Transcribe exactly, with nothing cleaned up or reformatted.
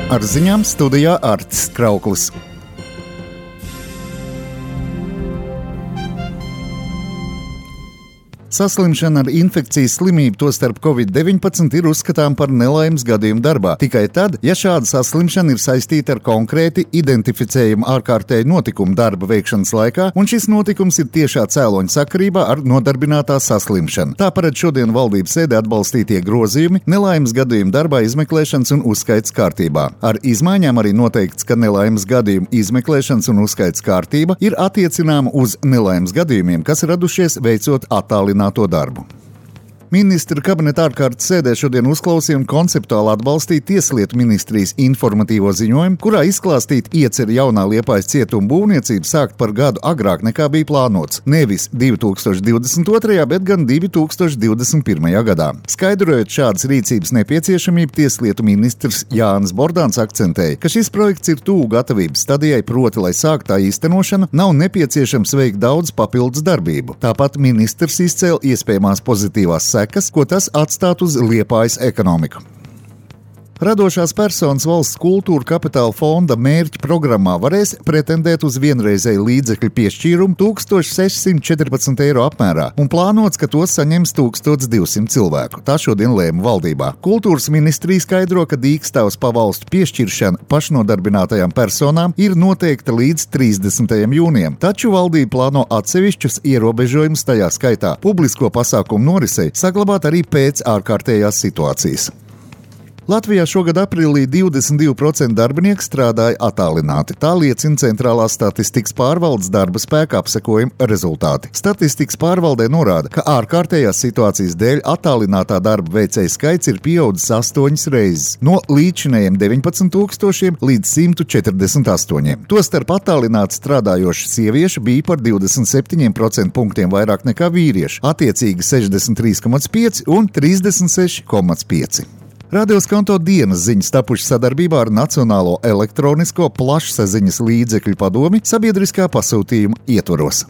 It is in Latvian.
Ar ziņām studijā Artis Krauklis. Saslimšana ar infekcijas slimību, tostarp covid deviņpadsmit, ir uzskatām par nelaimes gadījumu darbā. Tikai tad, ja šāda saslimšana ir saistīta ar konkrēti identificējumu ārkārtēju notikumu darba veikšanas laikā, un šis notikums ir tiešā cēloņa sakarībā ar nodarbinātā saslimšanu. Tā paredz šodien valdības sēdē atbalstītie grozījumi nelaimes gadījumu darbā izmeklēšanas un uzskaits kārtībā. Ar izmaiņām arī noteikts, ka nelaimes gadījumu izmeklēšanas un uzskaits kārtība ir attiecināma uz nelaimes gadījumiem, kas radušies veicot attālinājumu to darbu. Ministra kabineta ārkārtas sēdē šodien uzklausīja un konceptuāli atbalstīja Tieslietu ministrijas informatīvo ziņojumu, kurā izklāstīt ieceri jaunā Liepājas cietuma būvniecību sākt par gadu agrāk nekā bija plānots. Nevis divi tūkstoši divdesmit otrajā, bet gan divi tūkstoši divdesmit pirmajā gadā. Skaidrojot šādas rīcības nepieciešamību, Tieslietu ministrs Jānis Bordāns akcentēja, ka šis projekts ir tuvu gatavības stadijai, proti, lai sākt tā īstenošana, nav nepieciešams veikt daudz papildus darbību. Tāpat ministrs izcēla iespējamās pozitīvās sekas, ko tas atstātu uz Liepājas ekonomiku. Radošās personas valsts kultūra kapitāla fonda mērķu programmā varēs pretendēt uz vienreizēju līdzekļu piešķīrumu tūkstoš sešsimt četrpadsmit eiro apmērā, un plānots, ka tos saņems tūkstoš divsimt cilvēku. Tā šodien lēma valdībā. Kultūras ministrija skaidro, ka dīkstāvs pavalstu piešķiršana pašnodarbinātajām personām ir noteikta līdz trīsdesmitajam jūnijam, taču valdība plāno atsevišķus ierobežojumus, tajā skaitā publisko pasākumu norisei, saglabāt arī pēc ārkārtējās situācijas. Latvijā šogad aprīlī divdesmit divi procenti darbinieku strādāja attālināti. Tā liecina Centrālās statistikas pārvaldes darba spēka apsekojuma rezultāti. Statistikas pārvaldē norāda, ka ārkārtējās situācijas dēļ attālinātā darba veicēju skaits ir pieaudzis astoņas reizes, no līdzinējiem deviņpadsmit tūkstošiem līdz simt četrdesmit astoņiem. Tostarp attālināti strādājoši sievieši bija par divdesmit septiņiem procentiem punktiem vairāk nekā vīrieši, attiecīgi sešdesmit trīs komats pieci un trīsdesmit seši komats pieci. Radio Skanto dienas ziņas tapuši sadarbībā ar Nacionālo elektronisko plašsaziņas līdzekļu padomi sabiedriskā pasūtījuma ietvaros.